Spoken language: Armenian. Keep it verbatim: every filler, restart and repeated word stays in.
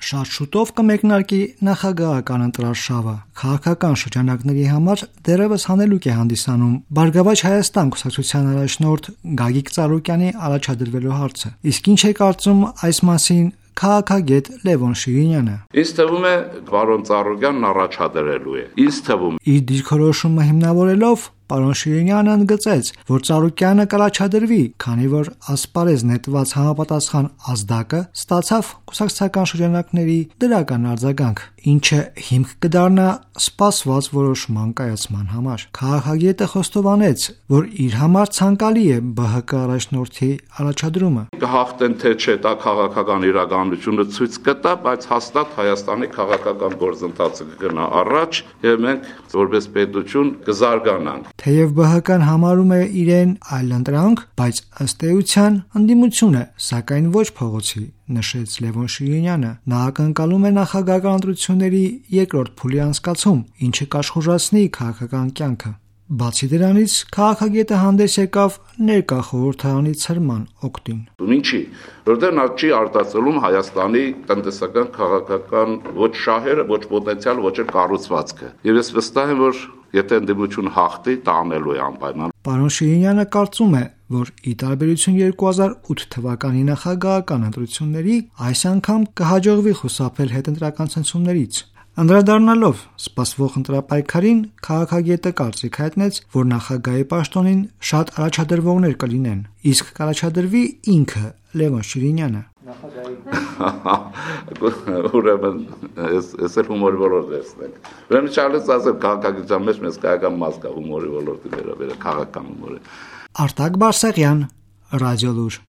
շատ շուտով կմեկնարկի նախագահական ընտրարշավը։ Քաղաքական շրջանակների համար դեռևս հանելուկ է հանդիսանում Բարգավաճ Հայաստան կուսակցության առաջնորդ Գագիկ Ծառուկյանի առաջադրվելու հարցը։ Իսկ ինչ է կարծում այս մասին քաղաքագետ Լևոն Շիրինյանը։ Ինձ թվում է, պարոն Ծառուկյանն առաջադրելու է։ Ինձ թվում Իր դիրքորոշումը հիմնավորելով պարոն Շիրինյանը ընդգծեց, որ Ծառուկյանը կառաջադրվի, քանի որ ասպարեզ նետված համապատասխան ազդակը ստացավ կուսակցական շրջանակների դրական արձագանք, ինչը հիմք կդառնա սպասված որոշման կայացման համար։ Քաղաքագետը խոստովանեց, որ իր համար ցանկալի է ԲՀԿ առաջնորդի առաջադրումը։ Կհաղթեն թե չէ, դա քաղաքական իրականությունը ցույց կտա, բայց հաստատ Հայաստանի քաղաքական գործընթացը կգնա առաջ եւ մենք որպես պետություն կզարգանանք։ Թեև ԲՀԿ-ն համարում է իրեն այլընտրանք, բայց ըստ էության ընդդիմություն է, սակայն ոչ փողոցի, նշեց Լևոն Շիրինյանը։ Նա ակնկալում է նախագահական ընտրությունների երկրորդ փուլի անցկացում, ինչը կաշխուժացնի քաղաքական կյանքը։ Բացի դրանից, քաղաքագետը հանդես եկավ ներկա խորհրդարանի ցրման օգտին։ Ինչի, որտեղ նա չի արտացոլում Հայաստանի տնտեսական քաղաքական ոչ շահերը, ոչ պոտենցիալ, ոչ էլ կառուցվածքը։ Եվ ես վստահ եմ, որ եթե ընդդիմություն հաղթի, դա անելու է անպայման։ Պարոն Շիրինյանը կարծում է, որ ի տարբերություն երկու հազար ութ թվականի նախագահական ընտրությունների, այս անգամ կհաջողվի խուսափել հետընտրական ցնցումներից։ Անդրադառնալով սպասվող ընտրապայքարին, քաղաքագետը կարծիք հայտնեց, որ նախագահի պաշտոնին շատ առաջադրվողներ կլինեն, իսկ կառաջադրվի ինքը Լևոն Շիրինյանը։ Ուրեմն ես էլ հումորի ոլորտ վերցնենք։ Ուրեմն չարլես ասել քաղաքագիտության մեջ մեզ քաղաքական մաս կա հումորի ոլորտի վերաբերյալ քաղաքական հումորը։ Արտակ Բարսեղյան, Ռադիոլուր։